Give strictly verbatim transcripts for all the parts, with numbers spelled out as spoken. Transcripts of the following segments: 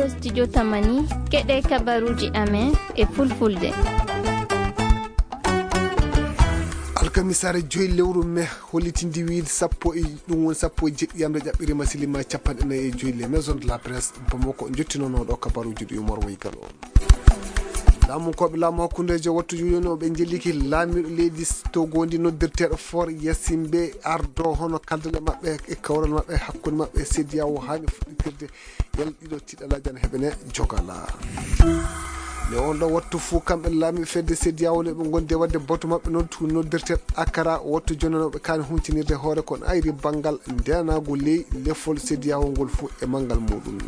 Studio Tamani, keɗe kabaruuji amen e fulfulde. Alkamisaare joyi lewru me hollitindi wiyde sappo e ɗum woni sappo e jeɗɗi yamre ƴaɓɓirima silima capanɗe nayi e joyi les maisons de la presse Bamako jottinonooɗo kabaruuji ɗi Umar Waygal on. Laamunkooɓe laamu hakkundeejo wattu jooni o ɓe njelliki laamiiɗo leydi Togo ndi noddirteeɗo Faure Gnassingbé ardo hono kaldal e maɓɓe e kawral maɓɓe hakkunde maɓɓe e C E D E A O haani fuɗɗitirde yalla ɗiɗo tiɗalaaji ana heɓene jogala. Nde on ɗo wattu fuu kamɓe laamiiɓe fedde C E D E A O nde ɓe ngondi e waɗde batu maɓɓe noddu noddirteeɗo Akara wattu jooni o ɓe kaani huncinirde hoore ko ayri banngal ndenaagu ley lefol C E D E A O ngol fuu e manngal muɗum.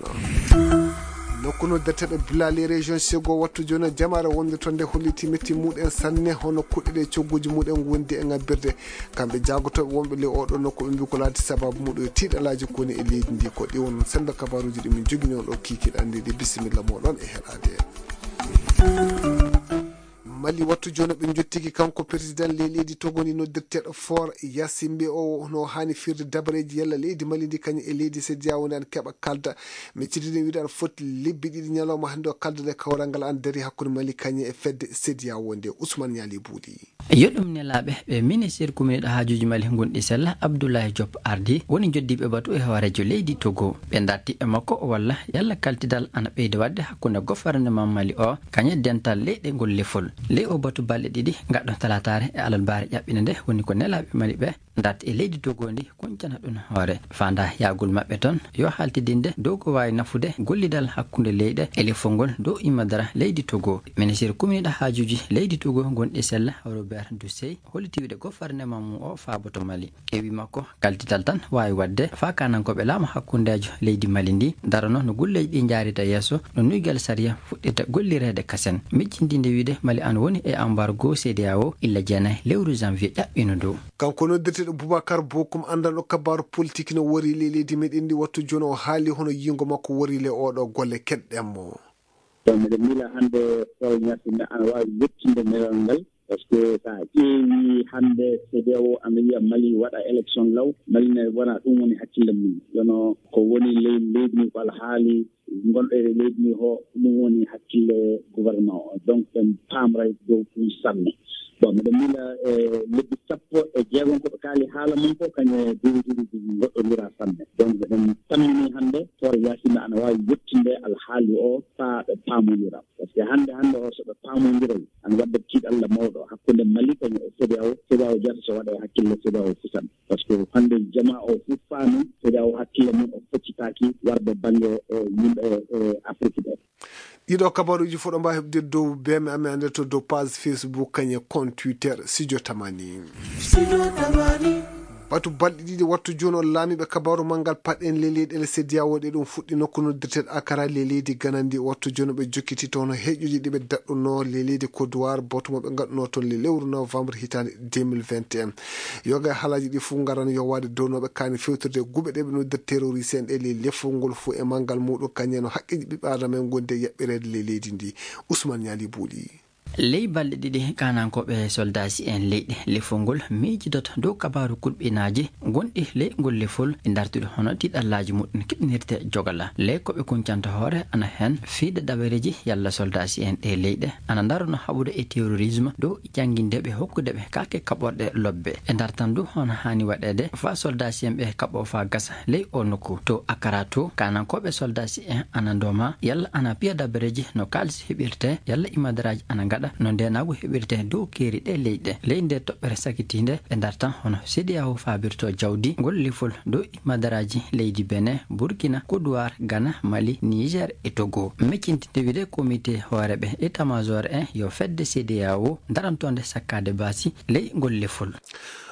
Nokku noddirteeɗo Bila les régions Sego wattu jooni jamaare wonde toon nde holliti metti muɗen sanne hono kuɗɗe ɗe cogguuji muɗen ngondi e ngabbirde. Kamɓe jaagotooɓe wonɓe ley oɗo nokku ɓe mbi ko laati sababu muɗum e tiɗalaaji koni e leydi ndi ko ɗi won semmbe kabaruuji ɗi min jogini on ɗo kiikiiɗe anndi ɗi bisimilla moɗon e heɗaade. Mali wattu jooni ɓe jottiki kanko président ley leydi Togo ndi noddirteeɗo Faure Gnassingbé o no haani firde dabareeji yalla leydi Mali ndi kañum e leydi C E D E A O ndi an keɓa kalda. Mi cidini wiide aɗa foti lebbi ɗiɗi ñalawma hannde o kaldude kawral ngal an dari hakkunde Mali kañum e fedde C E D E A O nde Ousmane Ñaali Buuɗi. Yo ɗum nelaaɓe ɓe ministir kuminɗo haajuuji Mali ngonɗi sella Abdoulaye Diop ardi woni joddiiɓe batu e hooreejo leydi Togo. Ɓe ndarti e makko walla yalla kaltidal ana ɓeyda waɗde hakkunde gofarnement Mali o kañe dental leyɗe ngol lefol. Ley o batu balɗe ɗiɗi ngaɗɗo talataare e alarbaare ƴaɓɓinde nde woni ko nelaaɓe Mali ɓe ndarti e leydi Togo ndi kuncana ɗum hoore. Fanda yahgol maɓɓe toon yo haltidinde dow ko waawi nafude gollidal hakkunde leyɗe e lefol ngol dow immadaare leydi Togo. Ministir kuminɗo haajuuji leydi Togo ngonɗi sella Robert Dusey holliti wiide gofarnement mum o faaboto Mali. E wii makko, kaldital tan waawi waɗde faa kaanankooɓe laamu hakkundeejo leydi Mali ndi darano no golleeji ɗi njaarita yeeso, no nuygal sariya fuɗɗirta gollireede kasen. Miccindinde wiide Mali an woni e embargo C E D E A O illa jeenayi lewru janvier ƴaɓɓiino ndu. Kanko noddirteeɗo Boubacar Bokoum anndanɗo kabaaru politik no wori le leydi meɗen ndi wattu jooni o haali hono yiingo makko wori le oɗo golle keɗɗen mo. Ɗo miɗo miila hannde Faure Gnassingbé ana waawi yettinde nelal ngal. Par ce que so a ƴeewi hannde C E D E A O ana wiya Mali waɗa élection law, Mali ne wona ɗum woni hakkille mum. Yono ko woni ley leydi ndi ko alhaali gonɗo e leydi ndi ho, ɗum woni hakkille gouvernement o. Donc ɓe paamray dow ɗum sanne. Bon, miɗo miila e lebbi sappo e jeegom ko ɓe kaali haala mum ko kañum e dirigeeji goɗɗondira sanne. Donc ɓeɗen tammini hannde Faure Gnassingbé ana waawi yettinde alhaali o faa ɓe paamondira. Par ce que hannde, hannde o, so ɓe paamondiray, ana wadda tiiɗalla mawɗo hakkunde Mali kañum e C E D E A O. C E D E A O jata so waɗa e hakkille C E D E A O fusan. Par ce que hannde jamaa o fof faami C E D E A O hakkille mum o foccitaaki warde bannge, eh, yimɓe, eh, Afrique ɓe. Ɗiɗo kabaruuji fof ɗo mbaawi heɓde dow B M amen hannde to dow page Facebook kañum e compte Twitter Studio Tamani. Batu balɗe ɗiɗi wattu jooni o laamiiɓe kabaaru manngal paɗen le leyɗeele C E D E A O ɗe ɗum fuɗɗi nokku noddirteeɗo Akara le leydi Gana ndi wattu jooni ɓe jokkiti toon heeƴuji ɗi ɓe daɗɗunoo le leydi Côte d'Ivoire batu mo ɓe ngaɗunoo toon le lewru novembre hitaande deux mille vingt et un. Yoga e haalaaji ɗi fof ngaran yowaade dow no ɓe kaani fewtirde guɓe ɗe ɓe noddirta terroriste en ɗe le lefol ngol fof e manngal muɗum kañum e no haqqeeji ɓiɓɓe aadama en ngondi e yaɓɓireede le leydi ndi. Ousmane Ñaali Buuɗi. Ley balɗe ɗiɗi, kaanankooɓe soldaasi en leyɗe lefol ngol miijidoto dow kabaaru kulɓinaaji gonɗi ley ngol lefol e ndartude hono tiiɗallaaji muɗum keɓnirte jogala. Ley ko ɓe kuncanta hoore ana heen fiide dabareeji yalla soldaasi en ɗe leyɗe ana ndarano haɓude e terrorisme dow jannginde ɓe hokkude ɓe kaake kaɓorɗe lobbe. E ndartan du hono haani waɗeede faa soldaasi en ɓe kaɓoo faa gasa ley o nokku. To Akara to, kaanankooɓe soldaasi en ana ndooma yalla ana piya dabareeji no kaalis heɓirte yalla imadaraaji ana ngaɗa no ndeenaagu heɓirte dow keeri ɗe leyɗe. Ley nde toɓɓere sakitiinde ɓe ndartan hono C E D E A O faabirto jawdi ngol lefol dow imadaraaji leydi Benin, Burkina, Côte d'Ivoire, Ghana, Mali, Niger e Togo. Miccintinde wiide komite hooreeɓe état-major en yo fedde C E D E A O darantonde sakkaade baasi ley ngol lefol.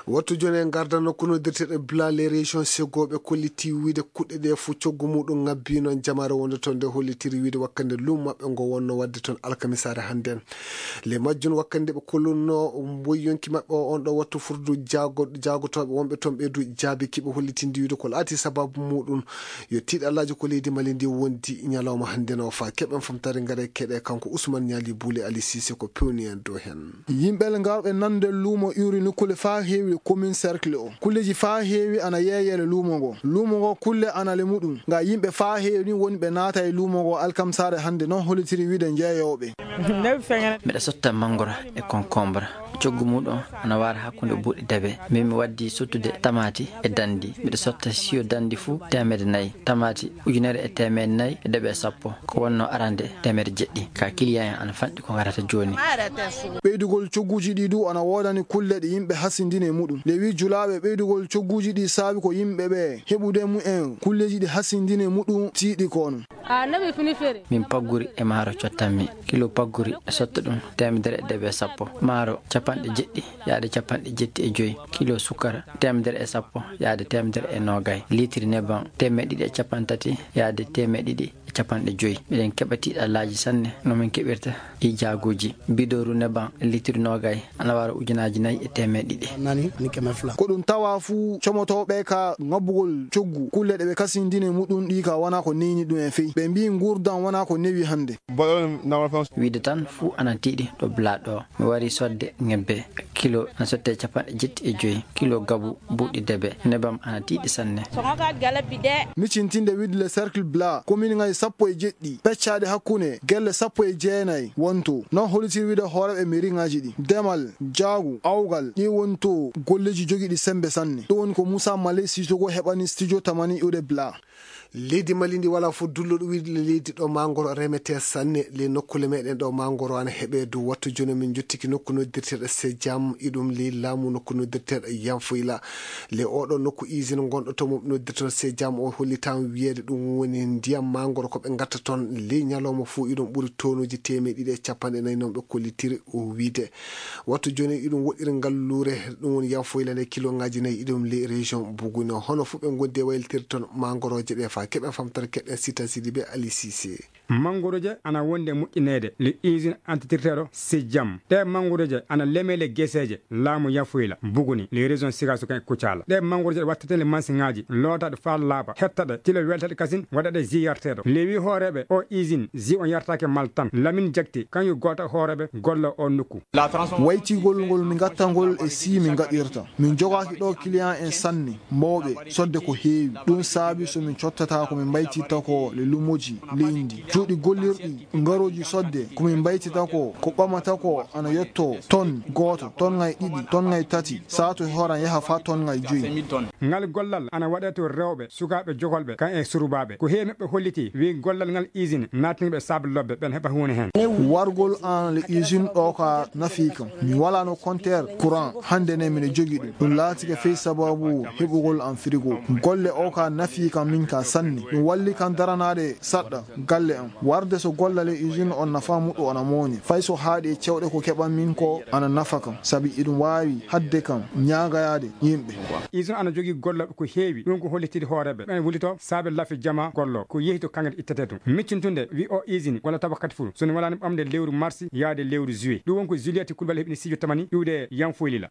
Wattu jooni en ngardan nokku noddirteeɗo Bila les régions Sego ɓe kolliti wiide kuɗɗe ɗe fof coggu muɗum ngabbi noon jamaare wonde toon nde hollitiri wiide wakkande luumo maɓɓe ngo wonno waɗde toon alkamisaare hannde en. Le majjum wakkande ɓe kolluno mboy yonki maɓɓe o on ɗo wattu furdu jaago-, jaagotooɓe wonɓe toon ɓe du jaabi kiɓe hollitindi wiide ko laati sababu muɗum yo tiiɗallaaji ko leydi Mali ndi wondi ñalawma hannde no fa keɓen famtare ngare keɗe kanko Ousmane Niali Boule Ali Cissé ko pewni en dow heen. Yimɓe ngarɓe nande luumo iwri nokkule faa heewi commune cercle o. Kulleji faa heewi ana yeeyele luumo ngo. Luumo ngo kulle ana le muɗum. Nga yimɓe faa heewi ni woni ɓe naata e luumo ngo alkamsaare hannde noon hollitiri wiide njeeyooɓe. Miɗa sotta mangoro e concombre. Coggu muɗum ana wara hakkunde buuɗi dabe. Min mi waddi sottude tamaati e dandi. Miɗa sotta siyo dandi fuu teemedde nayi. Tamaati ujunere e teemedde nayi e debe sappo. Ko wonno arande teemedde jeɗɗi. Ka client en ana fanɗi ko ngarata jooni. Ɓeydugol cogguuji ɗi du ana woodani kulle ɗe yimɓe hasindini e muɗum. Nde wi julaaɓe ɓeydugol cogguuji ɗi saabi ko yimɓe ɓe heɓude mumen kulleji ɗi hasindini e muɗum tiiɗi kono. Min pagguri e maaro cottanmi. Kilo pagguri e sotta ɗum teemedere e debe sappo. Maaro capanɗe jeɗɗi yaade capanɗe jetti e joyi. Kilo sukkara teemedere e sappo yaade teemedere e noogay. Litiri neban teemedde ɗiɗi e capanɗe tati yaade teemedde ɗiɗi e capanɗe joyi. Miɗen keɓa tiiɗallaaji sanne no min keɓirta e jaaguuji. Bidooru neban litiri noogay ana wara ujunaaji nayi e teemedde ɗiɗi. Ko ɗum tawa fuu comotooɓe ka ŋabbugol coggu kulle ɗe ɓe kasindini muɗum ɗi ka wona ko neyni ɗum e fey. Ɓe mbii nguurdan wona ko newi hannde. Wiide tan fuu ana tiiɗi ɗo Bla ɗo. Mi wari sodde ŋebbe. Kilo ana sotte capanɗe jetti e joyi. Kilo gabu buuɗi debe. Nebam ana tiiɗi sanne. Micintinde wiide le cercle Bla, commune ŋaji sappo e jeɗɗi, peccaade hakkunde gelle sappo e jeenayi wonto. Noon hollitiri wiide hooreeɓe mairie ŋaji ɗi. Demal, jaagu, awgal, ɗi wonto golleji jogiiɗi sembe sanne. Ɗum woni ko Moussa Malé Sissoko heɓani studio Tamani iwde Bla. Leydi Mali ndi wala fof dulluɗo wiide le leydi ɗo mangoro remete sanne. Le nokkule meɗen ɗo mangoro ana heɓe dow wattu jooni min jottiki nokku noddirteɗo Sejam iɗum ley laamu nokku noddirteɗo Yanfoyla. Le oɗo nokku usine gonɗo to mo noddirteɗo Sejam o hollitam wiyeede ɗum woni ndiyam mangoro ko ɓe gatta toon ley ñalawma fof iɗum ɓuri tonuji teemeɗe ɗiɗi e capanɗe nayi noon ɓe kollitiri o wiide. Wattu jooni iɗum woɗɗiri ngalluure ɗum woni Yanfoyla nde kilo ngaji nayi iɗum ley région Buguni. Hono fof ɓe gondi e waylitiri toon mangoroje ɗe fa keɓen famtata keɗen Sita Sidibe Ali Cissé. Mangoroje ana wonde moƴƴineede le usine entretirteɗo Sejam. Ɗe mangoroje ana leme le geseeje laamu Yanfoyla, Buguni, le région Sigaso kan e Kucala. Ɗe mangoroje ɗe wattete le mansiŋaaji, lootaɗe faa laaɓa, hettaɗe, tilo weltaɗe kasin, waɗaɗe ji yarteeɗo. Le wi hooreeɓe o usine, ji on yartaake mal tan. Lamin Jakte, kañum gooto hooreeɓe golla o nokku. Waytigol ngol mi gattangol e si mi gaɗirta. Min jogaaki ɗo client en sanne, mawɓe, sodde ko heewi. Ɗum saabi so min cottata ko min mbaytirta ko le lumoji leydi. Cuuɗi gollirɗi, ngarooji sodde, ko min mbaytirta ko, ko ɓamata ko ana yetto ton gooto, ton ngay ɗiɗi, ton ngay tati, saatu e horan yaha fa ton ngay joyi. Ngal gollal ana waɗe to rewɓe, sukaaɓe jokolɓe, kan e surubaaɓe. Ko heewi maɓɓe holliti, wi gollal ngal usine, naatniiɓe saabe lobbe, ɓen heɓa huune heen. Wargol an le usine ɗo ka nafi kam. Mi wala no compteur courant, hannde ne miɗo jogi ɗum. Ɗum laatike fey sababu heɓugol an frigo. Golle o ka nafi kam min ka sanne. Ɗum walli kan daranaade saɗɗa galle am. Warde so gollal e usine on nafa muɗɗo ona mawni. Fay so haaɗi e cewɗe ko keɓan min ko ana nafa kam. Sabi iɗum waawi hadde kam ñaagayaade yimɓe. Usine ana jogii gollal ko heewi. Ɗum ko hollitiri hooreeɓe. Ɓen wulito saabe lafi jama gollo. Ko yehi to kaŋŋe ittetee ɗum. Miccintunde wi o usine walla tawa kadi fuu. So ne walaani ɓamde lewru mars yaade lewru juillet. Ɗum won ko Juliette Coulibaly heɓini studio Tamani iwde Yanfoyla.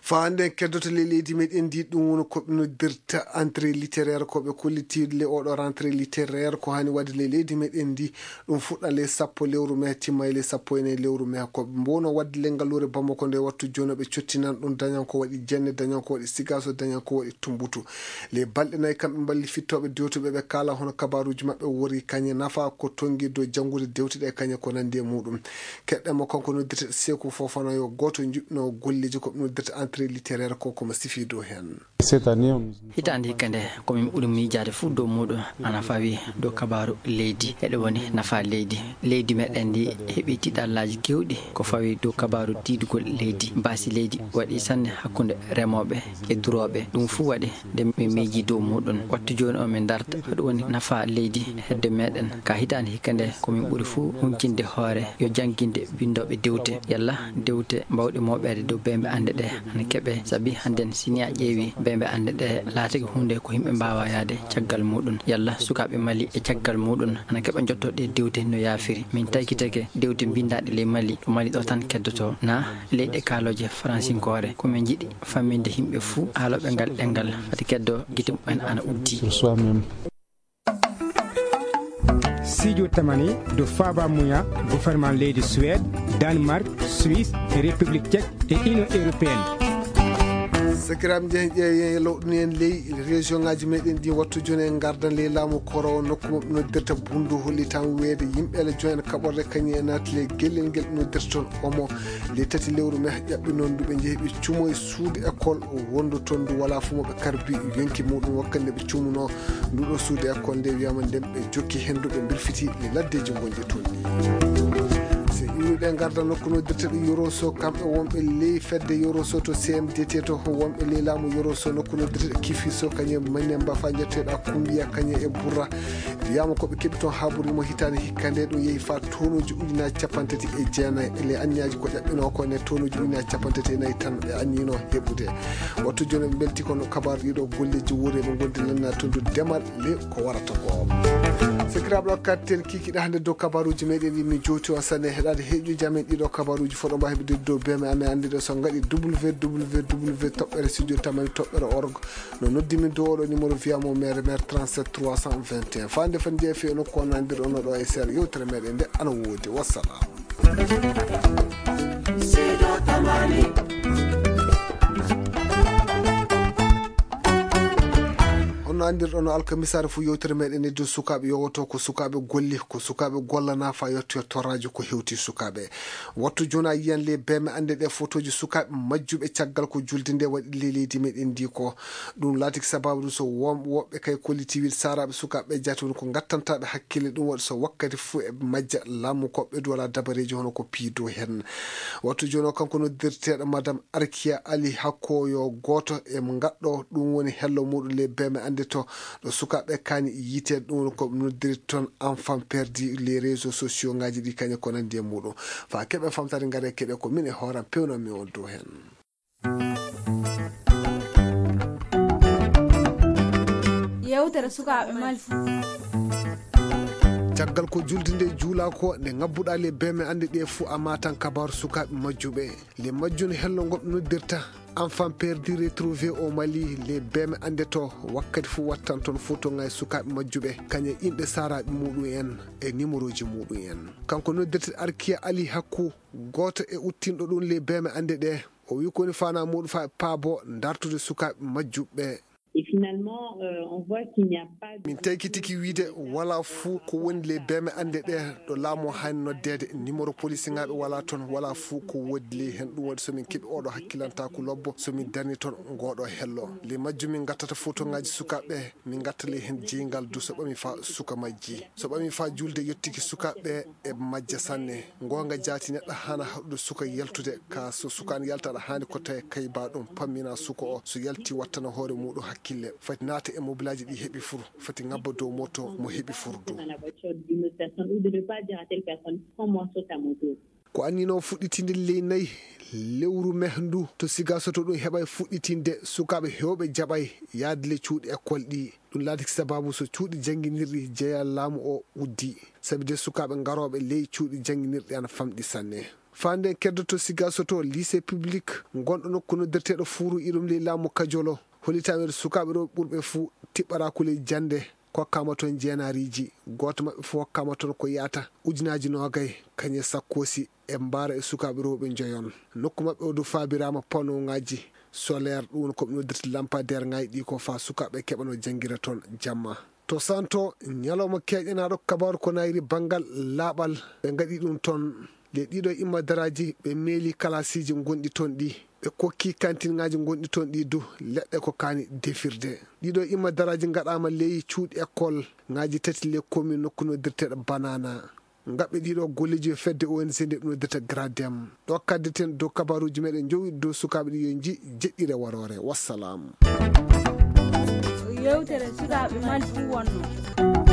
Fa hannde en keddoto le leydi meɗen ndi ɗum woni ko ɓe noddirta entrée littéraire ko ɓe kollitiiɗo le oɗo rentrée littéraire ko hani waɗde le leydi meɗen ndi ɗum fuɗɗa le sappo lewru mai timma le sappo e nayi lewru mai ko ɓe mbowno waɗde le ngalluure Bamako nde wattu jooni ɓe cottinan ɗum dañan ko waɗi jenne dañan ko waɗi sigaso dañan ko waɗi tumbutu le balɗe nayi kamɓe mballi fittooɓe dewtuɓe ɓe kaala hono kabaruuji maɓɓe wori kañe nafa ko tongi dow janngude dewte ɗe kañe ko nandi e muɗum. Keɗɗen mo kanko noddirte Seeku Fofana yo gooto juɓɓino golleeji ko ɓe noddirta entrée littéraire ko komo sifi dow heen. Hitaande hikka nde ko min ɓuri miijaade fuu dow muuɗum ana fawi dow kabaaru leydi eɗo woni nafa leydi. Leydi meɗen ndi heɓi tiiɗallaaji kewɗi ko fawi dow kabaaru tiiɗugol leydi. Baasi leydi waɗi sanne hakkunde remooɓe e durooɓe. Ɗum fuu waɗi nde min miiji dow muuɗum. Wattu jooni o min darta ko ɗum woni nafa leydi hedde meɗen. Ka hitaande hikka nde ko min ɓuri fuu huncinde hoore yo jannginde binndooɓe dewte yalla dewte mbawɗe mooɓeede dow beembe annde ɗe. Keɓe, sabi hannden si ni a ƴeewi bembe annde ɗe laatake huunde ko yimɓe mbaawa yahde caggal muɗum. Yalla sukaaɓe Mali e caggal muɗum ana keɓa jotto ɗe diwde no yaafiri? Min taykitake diwde mbinndaaɗe ley Mali, ɗo Mali ɗo tan keddoto, na leyɗe kaalooje faransinkoore? Ko min njiɗi famminde yimɓe fuu aalooɓe ngal ɗemngal, fati keddo gite mumen ana uddi. Siijo tamani dow faaba muya gouvernement leydi Suède, Danemark, Suisse, e République Tchèque e Union Européenne. Sakiraaɓe, njehen ƴeewen lowɗuni en ley région ŋaaji meɗen ɗi. Wattu jooni en ngardan ley laamu koro nokku mo ɓe noddirta Bundu, holli tan weede yimɓe ele jooni en kaɓorde kañum e naati ley gellel ngel ɓe noddirta toon Omo. Ley tati lewru me ƴaɓɓi noon ndu ɓe njehi ɓe cumo e suudu école wondu toon ndu walaa fuu mo ɓe karbi yonki muɗum wakkati nde ɓe cumunoo. Ndu ɗo suudu école nde wiyama nden ɓe jokki henndu ɓe mbirfiti e laddeeji gonɗi toon ɗi. So iwruɗe ngarda nokku noddirteɗo Yoroso, kamɓe wonɓe ley fedde Yoroso to C M D T to wonɓe ley laamu Yoroso nokku noddirteɗo Kifiso kañum e Mane Mbafa njetteɗo Kumbiya kañum e Burra. Wiyama ko ɓe keɓi toon haaburi mo hitaande hikka nde ɗum yehi fa tonuuji ujunaaji capanɗe tati e jeenayi e ley anniyaji ko ƴaɓɓinoo ko ne tonuuji ujunaaji capanɗe tati e nayi tan ɓe anniyinoo heɓude. Wattu jooni ɓe mbelti kono kabaru ɗiɗo golleeji wuure ɓe gondi lanna to ndu demal le ko warata ko. Sakiraaɓe, ɗo kattel kikiɗe hannde dow kabaruuji meɗen ɗi mi jowti on sanne heɗaade heeƴuji amen ɗiɗo kabaruuji foɗo mba heɓude dow beme amen anndude so ngaɗi W W W toɓɓere studio tamani toɓɓere org. No noddi min dow oɗo numéro via mo mere mere trente-sept trois cent vingt et un. Fande fan jeefi e nokku on nandir ono ɗo e seeɗa yewtere meɗen nde ana woodi. Wassalam. Honno andirɗon no alkamisaare fuu yewtere meɗen e dow sukaaɓe yowoto ko sukaaɓe golli, ko sukaaɓe gollana fa yettoyo torraaji ko hewti sukaaɓe. Wattu jooni a yiyan le beme annde ɗe fotooji sukaaɓe majjuɓe caggal ko julde nde waɗi ley leydi meɗen ndi ko. Ɗum laatiki sababu ɗum so won woɓɓe kay kolliti wiide saaraaɓe sukaaɓe jaati woni ko ngattantaaɓe hakkille. Ɗum waɗi so wakkati fuu eɓe majja laamu ko ɓe duwala dabareeji hono ko piido heen. Wattu jooni o kanko noddirteeɗo Madame Arkia Ali Hakko yo gooto e ngaɗɗo ɗum woni hello muɗum le beme annde to ɗo sukaaɓe kaani yiiteede ɗum woni ko noddiri toon enfant perdu les réseaux sociaux ngaji ɗi kañe ko nanndi e muɗum. Fa keɓe famtare ngare keɗe ko min e hooram pewnanmi on dow heen. Yewtere sukaaɓe Mali. Caggal ko julde nde juula ko nde ngabbuɗa le beme annde ɗe fuu a matan kabaru sukaaɓe majjuɓe. Le majjun hello ngoɓe noddirta enfant perdu retrouvé au Mali le beme annde to wakkati fuu wattan toon foto ngay sukaaɓe majjuɓe kañe inɗe saaraaɓe muɗum en e numéroji muɗum en. Kanko noddirte Arkia Ali Hakku, gooto e uttinɗo ɗum le beme annde ɗe. O wi ko woni fana muɗum fa e paabo dartude sukaaɓe majjuɓe. Et finalement, euh, on voit qu'il n'y a pas de... Min taykitiki wiide wala fuu ko woni le beme annde ɗe ɗo laamu o haani noddeede. Numéro polisingaɓe wala toon, wala fuu ko woodi ley heen. Ɗum waɗi so min keɓi oɗo hakkilantaaku lobbo, so min darni toon ngoɗo hello. Le majjum min ngattata foto ngaji sukaaɓe, min ngatta ley heen jeyngal du so ɓami fa suka majji. So ɓami fa julde yettiki sukaaɓe e majja sanne. Ngoonga jaati neɗɗo haana haɗude suka yaltude, ka so suka an yalta aɗa haani ko tawi kayba ɗum pammina suka o. So yalti wattana hoore muɗum hakkille. Fati naata e mobilaaji ɗi heɓi fur. Fati ngabba dow moto mo heɓi fur du. Ko annino fuɗɗitinde ley nayi lewru me ndu to Sigasoto ɗum heɓay fuɗɗitinde sukaaɓe hewɓe jaɓay yaade le cuuɗi école ɗi. Ɗum laatiki sababu so cuuɗi jannginirɗi jeya laamu o uddi. Sabi de sukaaɓe ngarooɓe ley cuuɗi jannginirɗi ana famɗi sanne. Fande keddoto Sigasoto lycée public ngonɗo nokku noddirteeɗo Fuuru iɗum ley laamu Kajolo. Hollitaama ɓe sukaaɓe ɗo ɓurɓe fuu tiɓɓaraa kuley jannde kokkama toon jeenaariiji. Gooto maɓɓe fof hokkama toon ko yahata ujunaaji noogay kañe sakkoosi e mbaara e sukaaɓe rewɓe njoyon. Nokku maɓɓe o du faabiraama panneau ŋaaji solaire, ɗum woni ko ɓe noddirta lampadaire ŋaaji ɗi ko fa sukaaɓe keɓano janngira toon jamma. To Santo, ñalawma keeƴanaaɗo kabaaru ko nayri banngal laaɓal, ɓe ngaɗi ɗum toon. Le ɗiɗo imma daraaji ɓe meeli kalasiiji ngonɗi toon ɗi. Ɓe kokki kantinŋaaji ngonɗi toon ɗi du leɗɗe ko kaani defirde. Ɗiɗo imma daraaji ngaɗaama ley cuuɗi école ŋaaji tati le commune nokku noddirteeɗo Banana. Ngaɓɓe ɗiɗo golleeji yo fedde O N G nde ɓe noddirta Gradem. Ɗo kaddeten dow kabaruuji meɗen njowi dow sukaaɓe ɗi yo nji jeɗɗire waroore. Wassalam. Yewtere sukaaɓe Mali fuu wonno.